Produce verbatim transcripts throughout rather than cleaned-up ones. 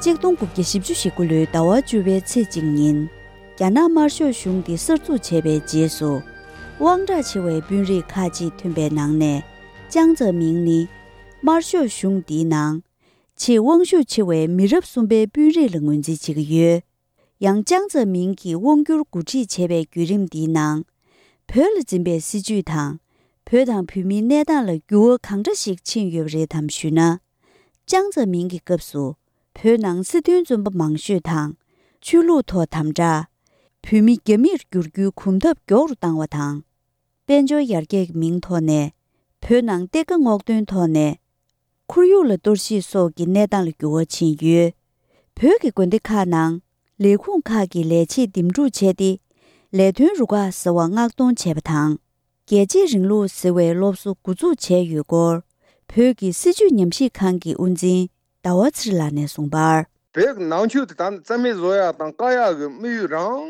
གཅིག་སྟོང་དགུ་བརྒྱ་བཞི་བཅུ་ཞེ་དགུ་ལོའི་ཟླ་བ་བཅུ་པའི་ཚེས་གཅིག་ཉིན། རྒྱ་ནག་དམར་ཤོག་གཞུང་འདི་གསར་འཛུགས་བྱས་པའི་རྗེས་སུ། དབང་གྲགས་ཆེ་བའི་དཔོན་རིགས་ཁག་ཅིག་ཐོན་པའི་ནང་ནས། ཅང་ཙེ་མིང་ནི། དམར་ཤོག་གཞུང་འདིའི་ནང་། ཆེས་དབང་ཤུགས་ཆེ་བའི་མི་རབས་གསུམ་པའི་དཔོན་རིགས་ལ་ངོས་འཛིན་བྱེད་ཀྱི་ཡོད། ཡང་ཅང་ཙེ་མིང་གིས་དབང་སྒྱུར་འགོ་ཁྲིད་བྱས་པའི་བརྒྱུད་རིམ་འདིའི་ནང་། བོད་ལ་འཛིན་པའི་སྲིད་བྱུས་དང་། བོད་དང་བོད་མིའི་གནས་སྟངས་ལ་འགྱུར་བ་གང་འདྲ་ཞིག་ཕྱིན་ཡོད་པ་རེད་དམ་ཞུས་ན། ཅང་ཙེ་མིང་གི་སྐབས་སུ། བོད་ནང་སྲིད་དོན་བཙོན་པ་མང་ཤོས་དང་། ཆོས་ལུགས་ཐོག་དམ་དྲག་བོད་མི་རྒྱ་མིར་བསྒྱུར་རྒྱུའི་གོམ་སྟབས་མགྱོགས་རུ་བཏང་བ་དང་། དཔལ་འབྱོར་ཡར་རྒྱས་ཀྱི་མིང་ཐོག་ནས། བོད་ནང་གཏེར་ཁ་སྔོག་འདོན་ཐོག་ནས། ཁོར་ཡུག་ལ་གཏོར་བཤིག་སོགས་ཀྱི་གནས་སྟངས་ལ་འགྱུར་བ་ཕྱིན་ཡོད། བོད་ཀྱི་དགོན་སྡེ་ཁག་ནང་། ལས་ཁུངས་ཁག་གི་ལས་བྱེད་འདེམས་སྒྲུག་བྱས་ཏེ། ལས་དོན་རུ་ཁག་ཟེར་བ་མངགས་གཏོང་བྱས་པ་དང་། རྒྱལ་གཅེས་རིང་ལུགས་ཟེར་བའི་སློབ་གསོ་འགོ་འཛུགས་བྱས་ཡོད་སྐོར། བོད་ཀྱི་སྲིད་བྱུས་ཉམས་ཞིབ་ཁང་གི་དབུ་འཛིན་ཟླ་བ་ཚེ་རིང་ལགས་ནས་གསུངས་པར། བོད་ཀྱི་ནང་ཆོས་དེ་ད་ནི་རྩ་མེད་བཟོ་ཡག་དང་བཀག་ཡག་གི་དམིགས་ཡུལ་རང་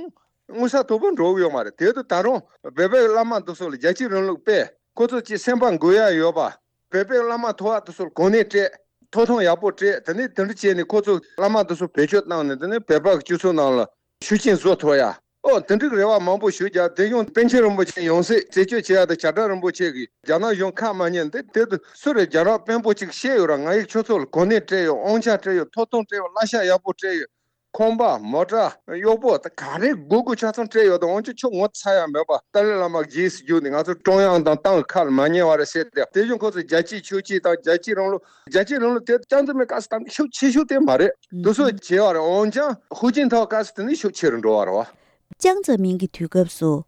མངོན་གསལ་དོད་པོ་འགྲོ་གི་ཡོད་མ་རེད། དེ་དུས་ད་རུང་བོད་པའི་བླ་མ་འདི་ཚོ་ལ་རྒྱལ་གཅེས་རིང་ལུགས་སྤེལ། ཁོ་ཚོ་ཅིག་སེམས་པ་འགུལ་ཡག་ཡོད་པ། བོད་པའི་བླ་མ་ཐོག་དེ་ཚོར་གོ་གནས་སྤྲད། ཐོབ་ཐང་ཡག་པོ་སྤྲད། དེ་ནས་དེ་འདྲ་བྱས་ནས་ཁོ་ཚོ་བླ་མ་དེ་ཚོ་བེད་སྤྱོད་བཏང་ནས། དེ་ནས་བོད་པ་གི་སྤྱི་ཚོགས་ནང་ལ་ཤུགས་རྐྱེན་བཟོ་ཐུབ་ཡ། ཨོ་དེ་འདྲའི་རེ་བ་མང་པོ་ཞུ་རྒྱུ། དེ་ཡང་པཎ་ཆེན་རིན་པོ་ཆེ་ཡང་སྲིད་རྩད་གཅོད་བྱེད་ཡ་དང་བྱ་བྲལ་རིན་པོ་ཆེ་གིས་རྒྱ་ནག་གཞུང་ཁ་མ་ཉན་འདི། དེ་དུས་སུ་རེད། རྒྱ་ནག་དཔོན་པོ་གཅིག་བཤད་ཡོད་ར། ང་ཡིས་ཁྱོད་ཚོ་ལ་གོ་གནས་སྤྲད་ཡོད། དབང་ཆ་སྤྲད་ཡོད། ཐོབ་ཐང་སྤྲད་ཡོད། གླ་ཆ་ཡག་པོ་སྤྲད་ཡོད། ཁང་པ་མོ་ཊ་གཡོག་པོ་ད་ག་རེ་དགོས་དགོས་ཆ་ཚང་སྤྲད་ཡོད་དོ། འོན་ཀྱང་ཁྱོད་ངོ་ཚ་ཡ་མེད་པ། ཏཱ་ལའི་བླ་མ་རྗེས་སུ་བརྒྱུགས་ནས་ང་ཚོ་ཀྲུང་དབྱང་དང་ཏང་གི་ཁ་ལ་མ་ཉན་བ་རེད་ཟེར་ཏེ། དེ་བཞིན་ཁོ་ཚོས་རྒྱལ་གཅེས་ཆོས་གཅེས་དང་རྒྱལ་གཅེས་རིང་ལུགས། རྒྱལ་གཅེས་རིང་ལུགས་དེ་ཅང་ཙེ་མིན་སྐབས་སུ་ད་ཤུགས་ཆེ་ཤོས་དེ་མ་རེད། དེ་ཚོ་བྱས་པ་རེད། འོན་ཀྱང་ཧུའུ་ཅིན་ཐའོ་སྐབས་སུ་དེ་ནི་ཤུགས་ཆེ་རུ་འགྲོ་བ་རེད་བ། ཅང་ཙེ་མིན་གྱི་དུས་སྐབས་སུ།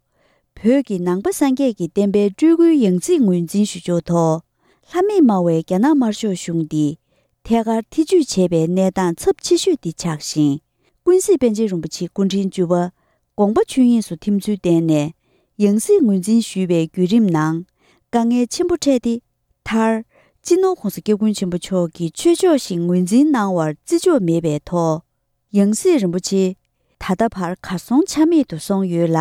བོད་ཀྱི་ནང་པ་སངས་རྒྱས་ཀྱི་བསྟན་པའི་སྤྲུལ་སྐུའི་ཡང་སྲིད་ངོས་འཛིན་ཞུ་ཕྱོགས་ཐོག་ལྷ་མེད་སྨྲ་བའི་རྒྱ་ནག་དམར་ཤོག་གཞུང་འདིས་ཐད་ཀར་ཐེ་ཇུས་བྱས་པའི་གནས་སྟངས་ཚབས་ཆེ་ཤོས་འདི་ཆགས་ཤིང་། ཀུན་གཟིགས་པཎ་ཆེན་རིན་པོ་ཆེ་སྐུ་ཕྲེང་བཅུ་པ་དགོངས་པ་ཆོས་དབྱིངས་སུ་ཐིམ་ཚུལ་བསྟན་ནས་ཡང་སྲིད་ངོས་འཛིན་ཞུས་པའི་བརྒྱུད་རིམ་ནང་དཀའ་ངལ་ཆེན་པོ་འཕྲད་དེ། མཐར། སྤྱི་ནོར་༧གོང་ས་༧སྐྱབས་མགོན་ཆེན་པོ་མཆོག་གིས་ཆོས་ཕྱོགས་ཤིག་ངོས་འཛིན་གནང་བར་བརྩི་འཇོག་མེད་པའི་ཐོག་ཡང་སྲིད་རིན་པོ་ཆེ་ད་ལྟ་བར་གར་སོང་ཆ་མེད་དུ་སོང་ཡོད་ལ།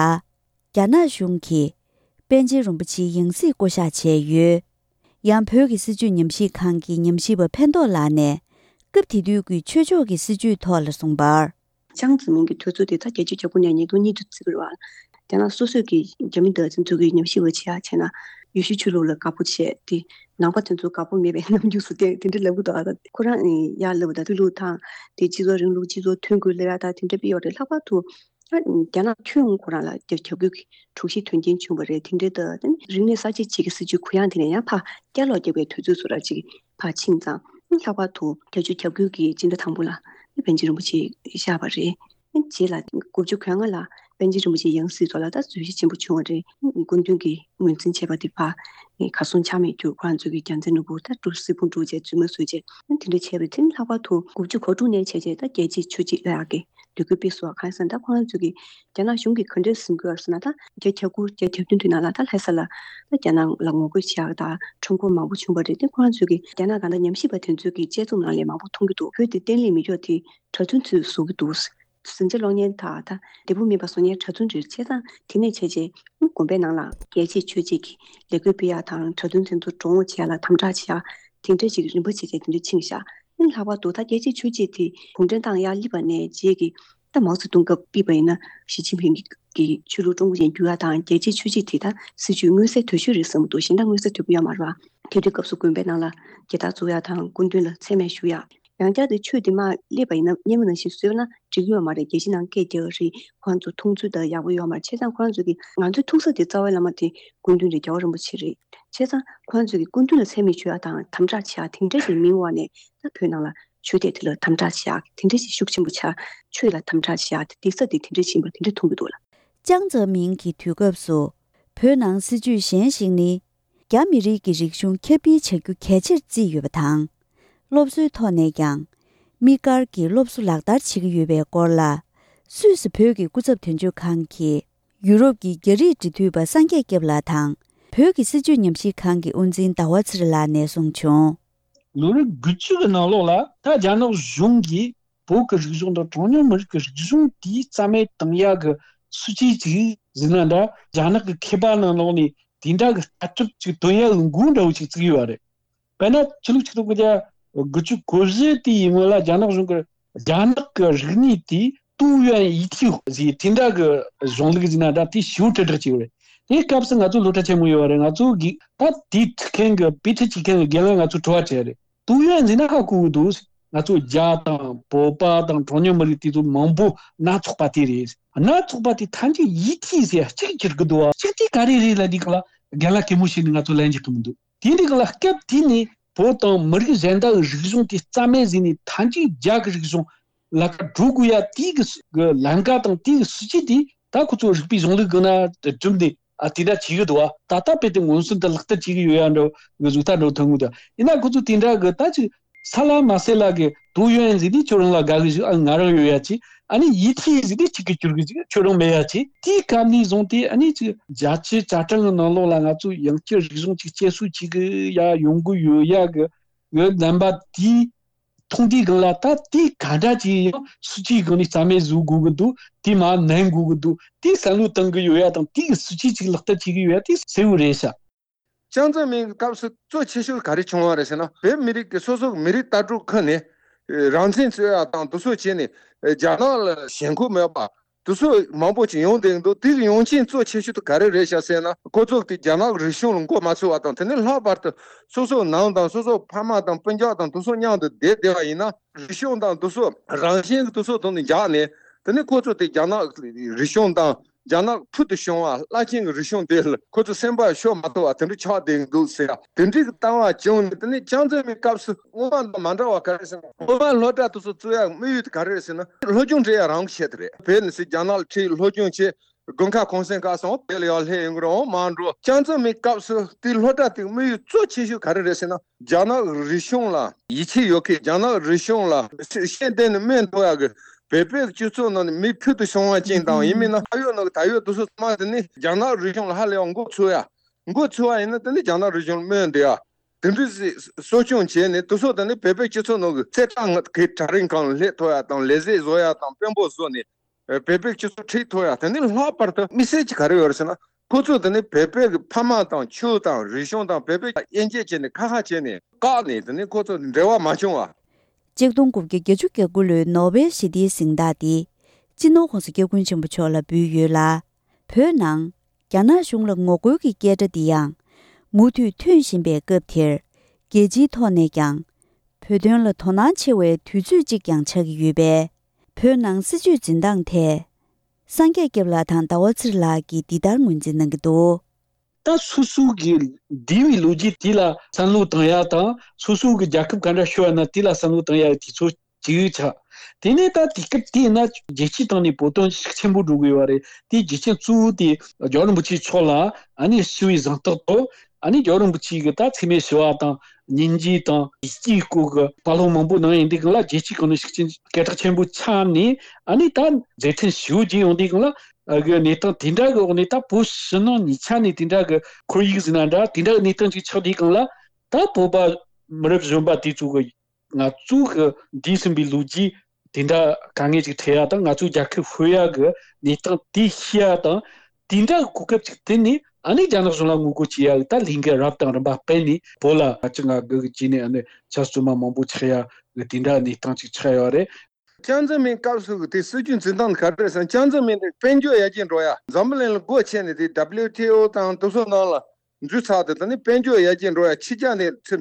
རྒྱ་ནག་གཞུང་གིས་པཎ་ཆེན་རིན་པོ་ཆེའི་ཡང་སྲིད་བསྐོ་གཞག་བྱས་ཡོད། ཡང་བོད་ཀྱི་སྲིད་བྱུས་ཉམས་ཞིབ་ཁང་གི་ཉམས་ཞིབ་པ་ཕན་ཐོགས་ལགས་ནས། སྐབས་དེ་དུས་ཀྱི་ཆོས་ཕྱོགས་ཀྱི་སྲིད་བྱུས་ཐོག་ལ་གསུངས་པར། ཅང་ཙེ་མིན་གྱི་དུས་ཚོད་དེ་ད་བརྒྱད་ཅུ་གྱ་དགུ་ནས་ཉིས་སྟོང་གཉིས་བར་བརྩི་གི་རེད་བ། རྒྱ་ནག་སོ་སོས་ཀྱི་རྒྱ་མི་འདི་ཚོ་གི་ཉམས་ཞིབ་པ་བྱེད་ཡ་བྱས་ན། ཡེ་ཤུ་ཆོས་ལུགས་ལ་དགའ་པོ་བྱས་ཏེ། ནང་པ་དེ་ཚོ་དགའ་པོ་མེད་པའི་རྣམ་འགྱུར་བཟོ་སྟེ་དེ་འདྲ་ལབ་གི་འདུག་ཨ། ཁོ་རང་ཡར་ལབ་པ་དང་། ཆོས་ལུགས་དང་དེ་སྤྱི་ཚོགས་རིང་ལུགས། སྤྱི་ཚོགས་མཐུན་དགོས་ལབ་ཡ་དང་དེ་འདྲ་སྤེལ་ཡོད་རེད། ལྷག་པར་དུ་ཨ་རྒྱ་ནག་ཁྱོན་ཡོངས་ཁོ་རང་ལ་རྒྱ་ཁྱབ་ཁུལ་གྱི་དྲུག་བཞི་དོན་རྐྱེན་བྱུང་བ་རེད། དེ་འདྲ་དང་། རིག་གནས་གསར་བརྗེ་ཅིག་གི་སྲིད་བྱུས་གུ་ཡངས་དེ་ནས་ཡང་ཕར་བསྐྱར་ལོག་རྒྱག་པའི་དུས་ཚོད་བཟོ་འདྲ་ཅིག་ཕར་ཕྱིན་ཙང་། ལྷག་པར་དུ་བརྒྱད་ཅུ་གྱ་དགུ་གི་སྤྱི་ཟླ་དང་པོ་ལ་པཎ་ཆེན་རིན་པོ་ཆེ་གཤེགས་པ་རེད། རྗེས་ལ་དགུ་བཅུ་གོ་ལྔ་ལ་པཎ་ཆེན་རིན་པོ་ཆེ་ཡང་སྲིད་ཐོག་ལ་ད་བརྗོད་གཞི་ཆེན་པོ་བྱུང་བ་རེད། སྐུ་མདུན་གྱིས་ངོས་འཛིན་བྱས་པ་དེ་ཕར་གར་སོང་ཆ་མེད་དུ། ཁོ་རང་ཚོ་གིས་རྒྱལ་མཚན་ནོར་བུ་ད་སྲིད་དབང་སྒྲུབ་བྱས་རྫུན་མ་བཟོས་བྱས་དེ་འདྲ་བྱས་པའི་ཚེ། ལྷག་པར་དུ་དགུ་བཅུ་གོ་དྲུག་ནས་བྱས་བྱས་ད་རྒྱལ་གཅེས་ཆོས་གཅེས་ལབ་ཡག་གི་ལས་འགུལ་སྤེལ་སོང་བ། གང་ཡིན་ཟེར་ན་ད་ཁོ་རང་ཚོ་གིས་རྒྱ་ནག་གཞུང་གིས་ག་འདྲས་ཟིན་དགོས་ཟེར་ན། ད་བརྒྱད་ཅུ་གྱ་དགུ་བརྒྱད་ཅུ་གྱ་བདུན་དུས་ནང་ལ་ད་ལྷ་ས་ལ་ད་རྒྱ་ནག་ལ་ངོ་རྒོལ་བྱེད་ཡག་དང་ཁྲོམ་སྐོར་མང་པོ་བྱུང་བ་རེད། དེ་ཁོ་རང་ཚོ་གིས་རྒྱ་ནག་གང་ལྟར་ཉམས་ཞིབ་པ་དེ་ཚོ་གི་དཔྱད་རྩོམ་ནང་ལས་མང་པོ་མཐོང་གི་འདུག་བོད་དེ་བརྟན་ལྷིང་མེད་ཕྱོགས་དེ་གྲྭ་བཙུན་ཚོས་བཟོ་གི་འདུག་ཟིང་ཆ་སློང་མཁན་དང་ད་འབྲས་བུ་སྨིན་པ་བཟོ་མཁན་གྲྭ་བཙུན་རེད། བྱས་ཙང་དེ་ནས་བྱས་རྗེས་དགོན་པའི་ནང་ལ་རྒྱལ་གཅེས་ཆོས་གཅེས་ཀྱི་ལས་འགུལ་སྤེལ་ཡག་དང་། གྲྭ་བཙུན་དེ་ཚོ་དྲུང་འོག་བྱེད་ཡག་ལ་དམ་དྲག་བྱེད་ཡག་དེ་འདྲ་ཅིག་རིམ་པ་བྱས་བྱས་དེ་འདྲ་ཕྱིན་ཤག་ཨ་ནི་ལྷག་པར་དུ་ད་རྒྱལ་གཅེས་ཆོས་གཅེས་དེ་གུང་ཁྲན་ཏང་ཡར་སླེབས་པ་ནས་རྗེས་ཀྱི། ད་མའོ་ཙེ་ཏུང་སྐབས་ཕུད་པ་ཡིན་ན་ཞི་ཅིན་ཕིང་གི་ཆོས་ལུགས་ཀྲུང་གོ་ཅན་བསྒྱུར་ཡག་དང་། རྒྱལ་གཅེས་ཆོས་གཅེས་དེ་ད་སྲིད་བྱུས་མངོན་གསལ་དོད་ཤོས་རེད་བསམ་གྱི་འདུག་གཞན་དག་མངོན་གསལ་དོད་པོ་ཡོད་མ་རེད་བ། དེ་དུས་སྐབས་སུ་དགོན་པའི་ནང་ལ་རྒྱལ་དར་བཙུགས་ཡག་དང་། སྐུ་མདུན་ལ་མཚན་སྨད་ཞུ་ཡག་ཡང་བསྐྱར་དུ་ཆོས་དེ་མར་སླེབས་པ་ཡིན་ན་སྔོན་མ་ནང་བཞིན་བཟོས་ན་འགྲིག་ཡོད་མ་རེད། རྒྱལ་སྤྱི་ནང་སྐད་རྒྱག་གི་རེད། ཁོ་རང་ཚོ་མཐོང་ཚུལ་དང་ཡག་པོ་ཡོད་མ་རེད། བྱས་ཙང་ཁོ་རང་ཚོ་གི་ང་ཚོའི་ཐུག་ས་དེ་རྩ་བའི་བླ་མ་དེ་སྐུ་མདུན་རེད། རྒྱལ་བ་རིན་པོ་ཆེ་རེད། བྱས་ཙང་ཁོ་རང་ཚོ་གི་སྐུ་མདུན་ལ་མཚན་སྨད་ཞུ་ཡག་དང་དམ་དྲག་བྱེད་ཡག་དེ་འདྲ་ཞིག་མིན་པ་ནས། ད་བོད་ནང་ལ་ཆོས་དད་དེ་ལ་དམ་དྲག་བྱེད་ཡག་དེ་འདྲ་ཞིག་ཤུགས་ཆེན་པོ་ཆགས། ཆོས་ལ་དམ་དྲག་བྱེད་ཡག་དེ་དེ་ས་དེ་དེ་འདྲ་ཞིག་ཡིན་པ་དེ་འདྲ་མཐོང་གི་འདུག་ལ། ཅང་ཙེ་མིན་གྱི་དུས་སྐབས་སུ་བོད་ནང་སྲིད་བྱུས་གཞན་ཞིག་ནི། རྒྱ་མི་རིགས་ཀྱི་རིག་གཞུང་ཁྱབ་སྤེལ་བྱ་རྒྱུ་གལ་ཆེར་བརྩིས་ཡོད་པ་དང་། སློབ་གསོའི་ཐོག་ནས་ཀྱང་། དམིགས་བཀར་གྱིས་སློབ་གསོ་ལག་བསྟར་བྱེད་ཀྱི་ཡོད་པའི་སྐོར་ལ། སུད་སི་བོད་ཀྱི་སྐུ་ཚབ་དོན་གཅོད་ཁང་གི་ཡུ་རོབ་ཀྱི་རྒྱ་རིགས་འབྲེལ་མཐུད་པ་སངས་རྒྱས་སྐྱབས་ལགས་དང་། བོད་ཀྱི་སྲིད་བྱུས་ཉམས་ཞིབ་ཁང་གི་དབུ་འཛིན་ཟླ་བ་ཚེ་རིང་ལགས་ནས་གསུངས་བྱུང་། ལོ་རབས་དགུ་བཅུ་གི་ནང་ལོགས་ལ་ད་རྒྱ་ནག་གཞུང་གིས་བོད་ཀྱི་རིག་གཞུང་དང་གྲངས་ཉུང་མི་རིགས་ཀྱི་རིག་གཞུང་དེའི་རྩ་མེད་བཏང་ཡག་གི་སྲིད་བྱུས་ཅིག་ཟིན་ན་འདྲ། རྒྱ་ནག་གི་མཁས་པ་ནང་ལོགས་ནས་དེ་འདྲ་གི་ལྟ་གྲུབ་ཅིག་འདོན་ཡག་གི་འགོ་འདྲ་བོ་ཅིག་བཙུགས་ཡོད་པ་རེད། དཔེར་ན་ཕྱི་ལོ་ཆིག་སྟོང་དགུ་བརྒྱ་དགུ་བཅུ་གོ་བཞི་དེའི་སྔོན་ལ་རྒྱ་ནག་གཞུང་གིས་ རྒྱ་ནག་གི་རིག་གནས་དེ་ཏུའུ་ཡོན་ཡི་ཐི་ཟེར་དེ་འདྲ་གི་གཞུང་ལུགས་ཟེར་ན་འདྲ། དེ་ཞེ་པོ་དྲིལ་བསྒྲགས་བྱས་ཡོད་རེད། དེའི་སྐབས་སུ་ང་ཚོ་སློབ་གྲྭ་ཆེན་མོ་ཡོད་རེད། ང་ཚོ་གི་ད་དེའི་ཁྲིད་མཁན་གི་དཔེ་ཁྲིད་བྱེད་མཁན་གི་རྒན་ལགས་ང་ཚོ་དྲི་བ་དྲིས་རེད། ཏུའུ་ཡོན་ཟེར་ན་ཧ་གོ་གི་འདུག་ང་ཚོ་རྒྱ་དང་བོད་པ་དང་གྲངས་ཉུང་མི་རིགས་དེ་ཚོ་མང་པོ་སྣ་ཚོགས་པ་དེ་རེད། སྣ་ཚོགས་པ་དེ་ཐམས་ཅད་ཡི་ཐི་ཟེར་གཅིག་གྱུར་གི་འདུག་བ། གཅིག་དེ་ག་རེ་རེད་ལབ་དུས་སྒང་ལ་རྒན་ལགས་གད་མོ་བྱས་ནས་ང་ཚོ་ལན་རྒྱག་གི་མི་འདུག་དེ་འདྲའི་སྒང་ལ་སྐབས་དེ་ནས་བོད་དང་མི་རིགས་གཞན་དག་གི་རིག་གཞུང་དེ་རྩ་མེད་བཟོས་ནས་ཐམས་ཅད་རྒྱ་གི་རིག་གཞུང་ལ་ཀ་འགྲོ་དགོས་ཡ་དེའི་གི་ལམ་ཀ་དང་དེའི་གི་སྲིད་ཇུས་དེ་ད་ཁོ་ཚོ་རིག་པའི་གཞུང་ལུགས་སྒང་ན་བསྒྲུབས་ནས་ཨ་དེ་འདྲ་བྱེད་གི་འདུག་བ། ད་ལྟ་དཔེ་དེ་མངོན་སུམ་དུ་ལག་བསྟར་བྱེད་གི་ཡོད་ཡ་འདྲ་གི་གཟུགས་ཐག་འགྲོ་ཐུབ་གི་འདུག་ཡིན་ན་ཁོ་ཚོ་དེ་འདྲ་གི་ད་ཅིག་ས་ལ་མ་སེ་ལ་གི་ཏུའུ་ཡོན་ཟེར་དུས་ཁྱོད་རང་ལ་དགའ་གི་ཞིག་ཨ་ང་རང་ཡོད་ཡ་ཅིག་ཨ་ནི་ཡི་ཐི་ཟེར་དུས་གཅིག་གི་གྱུར་གི་ཅིག་ཁྱོད་རང་མེད་ཡ་ཅིག་དེའི་སྐབས་ནས་བཟུང་སྟེ་ཨ་ནི་ཅིག་རྒྱ་ཆེ་ཆ་གྲངས་ཀྱི་ནང་ལོགས་ལ་ང་ཚོ་ཡང་བསྐྱར་རིག་གཞུང་ཅིག་སྐྱེད་སྲིང་བྱེད་གི་ཡ་ཡོང་གི་ཡོད་ཡ་གི་གི་རྣམ་པ་དེའི་མཐོང་དུས་སྒང་ལ་ད་དེ་ག་འདྲ་ཅིག་ཡང་སྲིད་ཇུས་སྒང་ནས་རྩ་མེད་བཟོ་དགོས་གི་འདུག་དེ་མར་ནན་དགོས་གི་འདུག་དེ་བསམ་བློ་བཏང་གི་ཡོད་ཡ་དང་དེ་གི་སྲིད་ཇུས་ཅིག་ལག་བསྟར་བྱེད་གི་ཡོད་ཡ་དེ་གསལ་བོ་རེད་ཤག་ཅང་ཙེ་མིན་གྱི་སྐབས་སུ་གཙོ་ཆེ་ཤོས་ག་རེ་བྱུང་བ་རེད་ཟེར་ན། བོད་མི་རིགས་ཀྱི་སོ་སོ་གི་མི་རིགས་ལྟ་གྲུབ་ཁུར་ནས་རང་བཙན་རྩོད་ཡ་དང་དེ་ཚོ་བྱས་ནས་རྒྱ་ནག་ལ་ཞེན་ཁོག་མེད་པ་དེ་ཚོ་མང་པོ་ཅིག་ཡོང་བསྡད་འདུག་དེ་གི་ཡོང་རྐྱེན་གཙོ་ཆེ་ཤོས་དེ་ག་རེ་རེད་ཤག་ཟེར་ན། ཁོ་ཚོ་དེ་རྒྱ་ནག་གི་རིག་གཞུང་ལ་མགོ་མ་ཚོས་པ་དང་། དེ་ནས་ལྷག་པར་དུ་སོ་སོ་ནང་དང་སོ་སོ་ཕ་མ་དང་སྤུན་ཀྱག་དང་དེ་ཚོ་མཉམ་དུ་བསྡད་བསྡད་པ་ཡིན་ན། རིག་གཞུང་དང་དེ་ཚོ་རང་བཞིན་གྱི་དེ་ཚོ་དང་ནི་འཇགས་ནས། དེ་ནས་ཁོ་ཚོ་དེ་རྒྱ་ནག་རིག་གཞུང་དང་རྒྱ་ནག་ཕུལ་དུ་བྱུང་བ་རླབས་ཆེན་གྱི་རིག་གཞུང་དེ་ལ་ཁོ་ཚོ་སེམས་པ་ཤོར་མ་ཐུབ་པ་དེ་འདྲ་ཆགས་བསྡད་འདུག་ཟེར། དེ་འདྲའི་གི་ལྟ་བ་བྱུང་ནས། དེ་ནས་ཅང་ཙེ་མིན་སྐབས་སུ་སྔོན་མ་དང་མ་འདྲ་བ་ག་རེ་ཟེར་ན། སྔོན་མ་སློབ་གྲྭ་དེ་ཚོ་བཙུགས་ཡ་དམིགས་ཡུལ་དེ་ག་རེ་རེད་ཟེར་ན། སློབ་སྦྱོང་སྤྲད་ཡ་རང་གི་ཆེད་དུ་རེད། བོད་ནས་སུ་རྒྱ་ནག་ལ་ཁྲིད་སློབ་སྦྱོང་བྱེད། དགུན་ཁ་གུང་སེང་ཁ་སོང་བོད་ལ་ཡར་སླེབས་ཡོང་གི་རེད། འོང་མ་འགྲོ། ཅང་ཙེ་མིན་སྐབས་སུ་དེའི་སློབ་གྲྭ་དེའི་དམིགས་ཡུལ་གཙོ་ཆེ་ཤོས་ག་རེ་རེད་ཟེར་ན། རྒྱ་ནག་རིག་གཞུང་ལ་ཡིད་ཆེས་ཡོད་མཁན། རྒྱ་ནག་རིག་གཞུང་ལ་ཤེས་ལྡན་ནས་སྨོན་ཐོག་ཡག་གི་བོད་པའི་སྤྱི་ཚོགས་ནང་ནས་མི་ཕུལ་དུ་བྱུང་བ་ཅན་དང་། ཡིན་མིན་ན་ད་ཡོད་ནོ་ད་ཡོད་དེ་ཚོ་ཚང་མ་དེ་ནི་རྒྱ་ནག་རིག་གཞུང་ལ་ཧ་ལས་པ་མགོ་ཚོས་ཡ། མགོ་ཚོས་པ་ཡིན་ན་དེ་ནི་རྒྱ་ནག་རིག་གཞུང་ལ་སྨོན་འདོད་ཡ། དེ་འདྲ་ཞིག་གསོ་སྐྱོང་བྱས་ནས་དེ་ཚོ་དེ་ནི་བོད་པའི་སྤྱི་ཚོགས་ནང་གི་རྩེ་གྲས་ངོ་གི་གྲལ་རིམ་ཁག་ལ་སླེབས་ཐུབ་ཡ་དང་། ལས་བྱེད་བཟོ་ཡ་དང་དཔོན་པོ་བཟོ་ནས་བོད་པའི་སྤྱི་ཚོགས་ཁྲིད་ཐུབ་ཡ། དེ་ནི་ལྷག་པར་དུ་དམིགས་བསལ་གྱི་ག་རེ་ཡོད་རེད་ཟེར་ན། ཁོ་ཚོ་དེ་ནི་བོད་པའི་གི་ཕ་མ་དང་ཆོས་དང་རིག་གཞུང་དང་བོད་པའི་དབྱེ་འབྱེད་བྱས་ནས་ཁ་ཁ་བྱས་ནས་བཀག་ནས། དེ་ནི་ཁོ་ཚོ་འབྲེལ་བ་མ་བྱུང་བ། ཆིག་སྟོང་དགུ་བརྒྱ་བརྒྱད་ཅུ་གྱ་དགུ་ལོའི་ནོ་བེལ་ཞི་བདེའི་གཟེངས་རྟགས་དེ་སྤྱི་ནོར་༸གོང་ས་༸སྐྱབས་མགོན་ཆེན་པོ་མཆོག་ལ་འབུལ་ཡོད་ལ། བོད་ནང་རྒྱ་ནག་གཞུང་ལ་ངོ་རྒོལ་གྱི་སྐད་སྒྲ་འདི་ཡང་མུ་མཐུད་ཐོན་བཞིན་པའི་སྐབས་དེར། རྒྱལ་སྤྱིའི་ཐོག་ནས་ཀྱང་བོད་དོན་ལ་དོ་སྣང་ཆེ་བའི་དུས་ཚོད་ཅིག་ཀྱང་ཆགས་ཀྱི་ཡོད་པས། བོད་ནང་སྲིད་བྱུས་འཛིན་སྟངས་ཐད། སངས་རྒྱས་སྐྱབས་ལགས་དང་ཟླ་བ་ཚེ་རིང་ལགས་ཀྱིས་འདི་ལྟར་ངོས་འཛིན་གནང་གི་འདུག་ད་སོ་སོ་གི་འདས་པའི་ལོ་རྒྱུས་དེ་ལ་བསམ་བློ་བཏང་ཡ་དང་། སོ་སོ་གི་རྒྱལ་ཁབ་ག་འདྲ་ཤོར་ཡ་ན་དེ་ལ་བསམ་བློ་བཏང་ཡ་དུས་ཚོད་ཅིག་ཆགས། དེ་ནས་ད་དུས་སྐབས་དེ་ན་རྒྱལ་སྤྱིའི་སྟེང་ནས་བོད་དོན་ཤུགས་ཆེན་པོ་འགྲོ་གི་ཡོད་རེད། དེའི་རྒྱུ་རྐྱེན་གཙོ་བོ་དེ་རྒྱལ་བ་རིན་པོ་ཆེ་མཆོག་ལ་ཨ་ནི་ཞི་བའི་གཟེངས་རྟགས་ཐོབ། ཨ་ནི་རྒྱལ་བ་རིན་པོ་ཆེ་གི་ད་འཚེ་མེད་ཞི་བ་དང་སྙིང་རྗེ་དང་ཡིད་ཆེས་སྐོར་གི་བཀའ་སློབ་མང་པོ་གནང་ཡོང་དུས་སྒང་ལ། རྒྱལ་སྤྱིའི་སྒང་ནས་ཤུགས་རྐྱེན་སྐད་གྲགས་ཆེན་པོ་ཆགས་ནས། ཨ་ནི་ད་མཛད་འཕྲིན་ཞེ་པོ་ཅིག་ཡོང་དུས་སྒང་ལ། ཨ་གི་གནས་སྟངས་དེ་འདྲ་གི་འོག་ནས། ད་བོད་ཕྱི་ནང་གཉིས་ཆ་ནས་དེ་འདྲ་གི་ཁོར་ཡུག་ཟེར་ན་འདྲ། དེ་འདྲ་གི་གནས་སྟངས་ཅིག་ཆགས་དུས་སྒང་ལ། ད་བོད་པ་མི་རབས་གཞོན་པ་དེ་ཚོ་གི་ང་ཚོ་གི་འདས་ཟིན་པའི་ལོ་རྒྱུས་དེ་འདྲ་དཀའ་ངལ་ཅིག་འཕྲད་ཡ་དང་། ང་ཚོའི་རྒྱལ་ཁབ་ཤོར་ཡ་གི་གནས་སྟངས་དེ་ཤེས་ཡ་དང་། དེ་འདྲ་གི་གོ་སྐབས་ཅིག་བསྟུན་ནས། ཨ་ནི་རྒྱ་ནག་གཞུང་ལ་ངོ་རྒོལ་བྱེད་ཡ་གི་ད་ལས་འགུལ་རབ་དང་རིམ་པ་སྤེལ་ནས། བོད་ལ་ང་ཚོ་ང་དགའ་གི་བྱས་ནས། ཨ་ནི་ཆབ་སྲིད་མ་མང་པོ་ཆགས་ཡ་གི་དེ་འདྲ་གནས་སྟངས་ཅིག་ཆགས་ཡོད་རེད། ཅང་ཙེ་མིན་སྐབས་སུ་དེ་སྲིད་བྱུས་འཛིན་སྟངས་ག་རེ་རེད་ཟེར་ན། ཅང་ཙེ་མིན་དེ་དཔལ་འབྱོར་ཡར་རྒྱས་འགྲོ་ཡ། འཛམ་བུ་གླིང་ལ་སྒོ་ཕྱེ་ནས། དེ་W T O དང་དེ་ཚོ་ནང་ལ་འཛུལ་ཚར་དུས། དེ་ནི་དཔལ་འབྱོར་ཡར་རྒྱས་འགྲོ་ཡ། ཕྱི་རྒྱལ་ནས་ཚུར་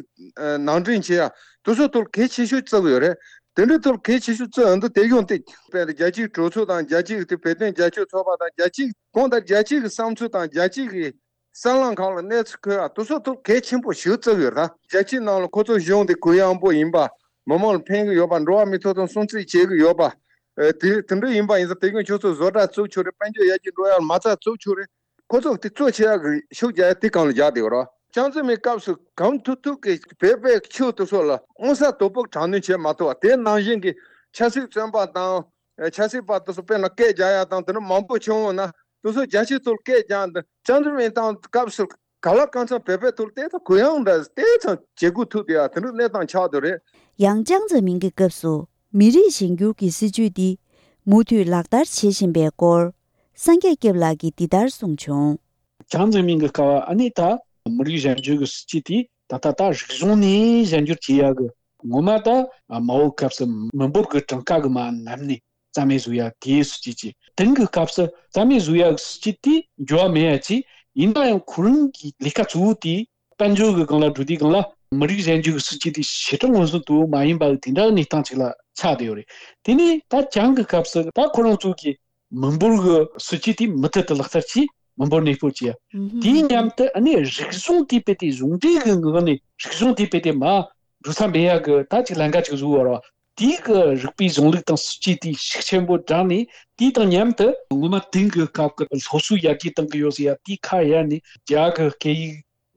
ནང་འདྲེན་བྱེད་ཡ། དེ་ཚོ་ཐོག་གལ་ཆེ་ཤོས་བརྩི་གི་ཡོད་རེད། དེ་འདྲའི་ཐོག་གལ་ཆེ་ཤོས་བརྩི་ཡོང་དུས། དེ་ཡོང་དེ་དཔེར་ན་རྒྱལ་སྤྱིའི་གྲོས་ཚོགས་དང་། རྒྱལ་སྤྱིའི་དེ་བོད་དོན་རྒྱབ་སྐྱོར་ཚོགས་པ་དང་། རྒྱལ་སྤྱིའི་གང་ལྟར་རྒྱལ་སྤྱིའི་གི་བསམ་ཚུལ་དང་། རྒྱལ་སྤྱིའི་གི་གསར་ལམ་ཁག་ལ་གནས་ཚུལ་འཁོད་ཡ། དེ་ཚོ་ཐོག་གལ་ཆེན་པོ་ཞིག་བརྩི་གི་ཡོད་ད། རྒྱལ་སྤྱིའི་ནང་ལ་ཁོ་ཚོ་གཞུང་དེ་གུ་ཡངས་པོ་ཡིན་པ། མི་མང་ལ་ཕན་གི་ཡོད་པ། འགྲོ་བ་མིའི་ཐོབ་ཐང་སྲུང་བརྩི་བྱེད་གི་ཡོད་པ། ཨེ་དེ་དེ་འདྲ་ཡིན་པ་ཡིན་ཙང་། དེ་གིན་ཁྱོད་ཚོ་བཟོ་གྲྭ་བཙུགས་ཆོག་རེད། དཔལ་འབྱོར་ཡར་རྒྱས་འགྲོ་ཡ་མ་རྩ་བཙུགས་ཆོག་རེད། ཁོ་ཚོ་དེ་གཙོ་ཆེ་ཡ་གི་ཤུགས་རྒྱག་ཡ་དེ་སྒང་ལ་རྒྱག་བསྡད་ཡོད་རེད། ཅང་ཙེ་མིན་སྐབས་སུ་གང་ཐུབ་ཐུབ་གི་བོད་པའི་ཆོས་དེ་ཚོ་ལ་མངོན་གསལ་དོད་པོ་དྲག་གནོན་བྱེད་མ་ཐུབ་པ། དེ་ནང་བཞིན་གི་ཆབ་སྲིད་བཙོན་པ་དང་། ཨེ་ཆབ་སྲིད་པ་དེ་ཚོ་དཔེར་ན་སྐད་རྒྱག་ཡ་དང་། དེ་འདྲ་མང་པོ་བྱུང་བ་ན། དེ་ཚོ་རྒྱལ་སྤྱིའི་ཐོག་སྐད་རྒྱག་འདི། ཅང་ཙེ་མིན་དང་སྐབས་སུ་ག་ལ་གང་འཚམ་བོད་པའི་ཐོག་ལ་དེ་ཚོ་གུ་ཡངས་འདྲ་དེ་ཙམ་བྱེད་དགོས་ཐུག་བསྡད་ཡ། དེ་འདྲ་གནས་སྟངས་ཆགས་བསྡད་རེད། ཡང་ཅང་ཙེ་མིན་གྱི་སྐབས་སུ་མི་རིགས་གཞན་འགྱུར་གྱི་སྲིད་བྱུས་འདི་མུ་མཐུད་ལག་བསྟར་བྱེད་བཞིན་པའི་སྐོར། སངས་རྒྱས་སྐྱབས་ལགས་ཀྱིས་འདི་ལྟར་གསུངས་བྱུང་། ཅང་ཙེ་མིན་གྱི་སྐབས་ཨ་ནི་ད་མི་རིགས་གཞན་འགྱུར་གྱི་སྲིད་བྱུས་དེ་ད་ལྟ་ད་རིག་གཞུང་ནས་གཞན་འགྱུར་བྱེད་ཡ་གི་ ངོ་མ་ད་མའོ་སྐབས་སུ་མི་འབོར་གྱི་གྲངས་ཀ་གི་མ་ནམ་ནས་རྩ་མེད་བཟོ་ཡ་དེའི་སྲིད་ཇུས་ཅིག། དེང་གི་སྐབས་སུ་རྩ་མེད་བཟོ་ཡ་གི་སྲིད་ཇུས་དེ་འགྱུར་བ་མེད་ཡ་ཅིག། ཡིན་ན་ཡང་ཁོ་རང་གི་ལས་ཀ་གཙོ་བོ་དེ་དཔལ་འབྱོར་གྱི་སྒང་ལ་འགྲོ་དུས་སྒང་ལ་མི་རིགས་གཞན་འགྱུར་གྱི་སྲིད་ཇུས་དེ་ཞེ་དྲག་མངོན་སུམ་དུ་མ་ཡིན་པ་གི་དེ་འདྲ་གི་གནས་སྟངས་ཅིག་ལ་ཆགས་བསྡད་ཡོད་རེད། དེ་ནས་ད་བྱང་གི་སྐབས་སུ་ད་ཁོ་རང་ཚོ་གི་མི་འབོར་གྱི་སྲིད་ཇུས་དེ་མུ་མཐུད་དུ་ལག་བསྟར་གྱིས་མི་འབོར་གནས་སྤོ་བྱས། ཨུ་ཧུམ། དེའི་མཉམ་དུ་ཨ་ནི་རིག་གཞུང་དེ་དཔེ་དེ་གཞུང་འབྲེལ་གྱི་ངང་ནས་རིག་གཞུང་དེ་དཔེ་དེ་མ་འགྲོ་ས་མེད་ཡ་གི་ད་ཅིག་ལམ་ཁ་ཅིག་བཟོས་པ་རེད་བ། དེའི་གི་རིག་པའི་གཞུང་ལུགས་དང་སྲིད་ཇུས་དེ་ཤུགས་ཆེན་པོ་དྲངས་ནས། དེའི་དང་མཉམ་དུ་སྔོན་མ་དེང་གི་སྐབས་ཀྱི་སློབ་གསོའི་ཡར་རྒྱས་གཏང་གི་ཡོད་ཟེར་ཡ་དེ་ཁ་གཡར་ནས། རྒྱ་གི་སྐད་ཡིག་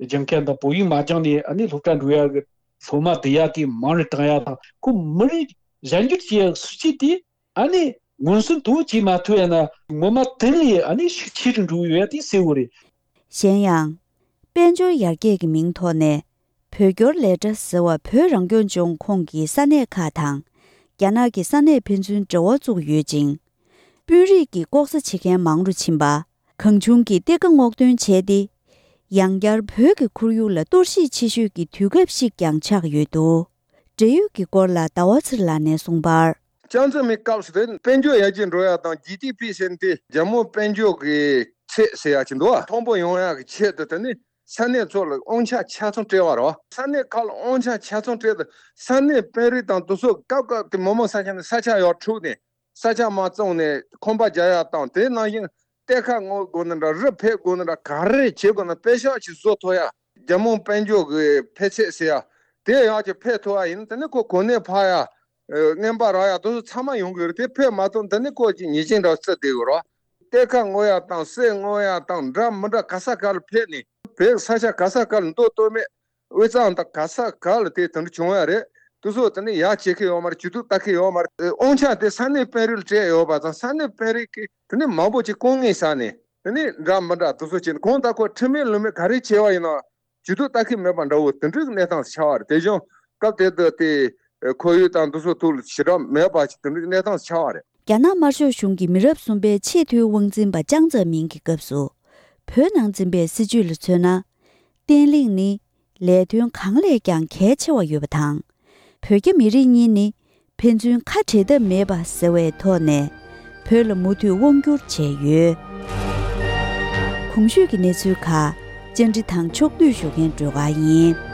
སྦྱང་མཁན་དང་བོད་ཡིག་མ་སྦྱངས་ནས་ཨ་ནི་སློབ་གྲྭ་འགྲོ་ཡ་གི་སློབ་མ་བསྡུ་ཡ་དེ་མང་རུ་བཏང་ཡ་དང་། ཁོ་མི་རིགས་གཞན་འགྱུར་བྱེད་ཡ་གི་སྲིད་ཇུས་དེ་ཨ་ནི་མངོན་སུམ་དུ་བྱེད་མ་ཐུབ་ཡ་ན། ངོ་མ་དེ་ལས་ཨ་ནི་ཤུགས་ཆེ་རུ་འགྲོ་གི་ཡོད་ཡ་དེ་གསལ་བོ་རེད། གཞན་ཡང་། དཔལ་འབྱོར་ཡར་རྒྱས་ཀྱི་མིང་ཐོག་ནས་བོད་སྐྱོར་ལས་གྲྭ་ཟེར་བ་བོད་རང་སྐྱོང་ལྗོངས་ཁོངས་ཀྱི་ས་གནས་ཁག་དང་རྒྱ་ནག་གི་ས་གནས་ཕན་ཚུན་འབྲེལ་བ་བཙུགས་ཡོད་ཅིང་། དཔོན་རིགས་ཀྱིས་ལྐོག་ཟ་བྱེད་མཁན་མང་རུ་ཕྱིན་པ། གང་བྱུང་གིས་གཏེར་ཁ་སྔོག་འདོན་བྱས་ཏེ། ཡང་བསྐྱར་བོད་ཀྱི་ཁོར་ཡུག་ལ་གཏོར་བཤིག་ཆེ་ཤོས་ཀྱི་དུས་སྐབས་ཤིག་ཀྱང་ཆགས་ཡོད་འདུག། འབྲེལ་ཡོད་ཀྱི་སྐོར་ལ་ཟླ་བ་ཚེ་རིང་ལགས་ནས་གསུངས་པར། ཅང་ཙེ་མིན་སྐབས་སུ་དེ་དཔལ་འབྱོར་ཡར་རྒྱས་འགྲོ་ཡ་དང་ཇི་ཌི་པི་ཟེར་དེ་རྒྱལ་ཡོངས་དཔལ་འབྱོར་གྱི་ཚད་ཟེར་ཡ་ཅིག་འདུག་བ། མཐོན་པོ་ཡོང་ཡ་གི་ཆེད་དུ་དེ་ནི་ས་གནས་ཚོ་ལ་དབང་ཆ་ཆ་ཚང་སྤྲད་པ་རེད་བ། ས་གནས་ཁག་ལ་དབང་ཆ་ཆ་ཚང་སྤྲད་དུས་ས་གནས་དཔོན་རིགས་དང་དེ་ཚོ་སྐབས་སྐབས་དེ་མི་མང་ས་ཆ་ནས་ས་ཆ་ཡར་འཁྲུགས་ནས། ས་ཆ་མ་བཙོངས་ནས་ཁང་པ་རྒྱག་ཡ་དང་། དེ་ནང་བཞིན་གཏེར་ཁ་སྔོག་དགོས་ན་འདྲ། རི་ཕུད་དགོས་ན་འདྲ། ག་རེ་བྱེད་དགོས་ན་པེ་ཤག་ཅིག་བཟོ་ཐུབ་ཡ། རྒྱལ་ཡོངས་དཔལ་འབྱོར་གྱི་འཕེལ་ཚད་ཟེར་ཡ་དེ་ཡག་ཅིག་འཕེལ་ཐུབ་ཡ་ཡིན་ན། དེ་ནི་ཁོ་གོ་གནས་འཕར་ཡ། ཨ། རྔན་པ་རག་ཡ་དེ་ཚོ་ཚང་མ་ཡོང་གི་རེད། དེ་འཕེལ་མ་ཐུབ་ན་དེ་ནི་ཁོ་ཅིག་ཉེས་ཅན་འདྲ་བརྩི་བསྡད་ཡོད་རེད། གཏེར་ཁ་སྔོག་ཡ་དང་ཟས་སྔོག་ཡ་དང་འདྲ་མི་འདྲ་ག་ས་ག་ལ་ཕེབས་ནས། བོད་ས་ཆ་ག་ས་ག་ལ་འདུག་སྟོད་སྨད། དབུས་གཙང་དང་ག་ས་ག་ལ་དེ་དེ་འདྲ་བྱུང་ཡ་རེད། དེ་ཚོ་དེ་ནི་ཡག་བྱེད་ཀྱི་ཡོད་མ་རེད། ཇུས་གཏོགས་ལྟ་གི་ཡོད་མ་རེད། དབང་ཆ་དེ་ས་གནས་དཔོན་རིགས་ལ་སྤྲད་ཡོད་པ་དང་། ས་གནས་དཔོན་རིགས་ཀྱིས་དེ་ནི་མང་པོ་ཅིག་དཀའ་ངལ་བཟོས་ནས་དེ་ནི་འདྲ་མི་འདྲ་དེ་ཚོ་བྱས་ནས། གང་ལྟར་ཁོ་ཁྲིམས་མེད་ལུགས་མེད་ག་རེ་བྱས་པ་ཡིན་ན་ཇུས་གཏོགས་ལྟ་གི་མེད་པ་འདྲ་བོ་དེ་འདྲའི་གནས་སྟངས་ཆགས་པ་རེད། དེ་བཞིན་སྐབས་དེ་དུས་དེ་ཁོར་ཡུག་དང་དེ་ཚོ་ཐོག་ལ་ཞེ་དྲག་མེད་པ་ཅིག་དེ་འདྲའི་གནས་སྟངས་ཆགས་པ་རེད། རྒྱ་ནག་དམར་ཤོག་གཞུང་གི་མི་རབས་གསུམ་པའི་ཆེས་མཐོའི་དབང་འཛིན་པ་ཅང་ཙེ་མིན་གྱི་སྐབས་སུ། བོད་ནང་འཛིན་པའི་སྲིད་བྱུས་ལ་མཚོན་ན། བརྟན་ལྷིང་ནི་ལས་དོན་གང་ལས་ཀྱང་གལ་ཆེ་བ་ཡོད་པ་དང་། བོད་རྒྱ་མི་རིགས་གཉིས་ནི་ཕན་ཚུན་ཁ་བྲལ་ཐབས་མེད་པ་ཟེར་བའི་ཐོག་ནས་བོད་ལ་མུ་མཐུད་དབང་བསྒྱུར་བྱས་ཡོད། གོང་ཞུས་ཀྱི་གནས་ཚུལ་ཁག་བཅར་འདྲི་དང་ཕྱོགས་བསྡུས་ཞུ་མཁན་སྒྲོལ་དཀར་ཡིན།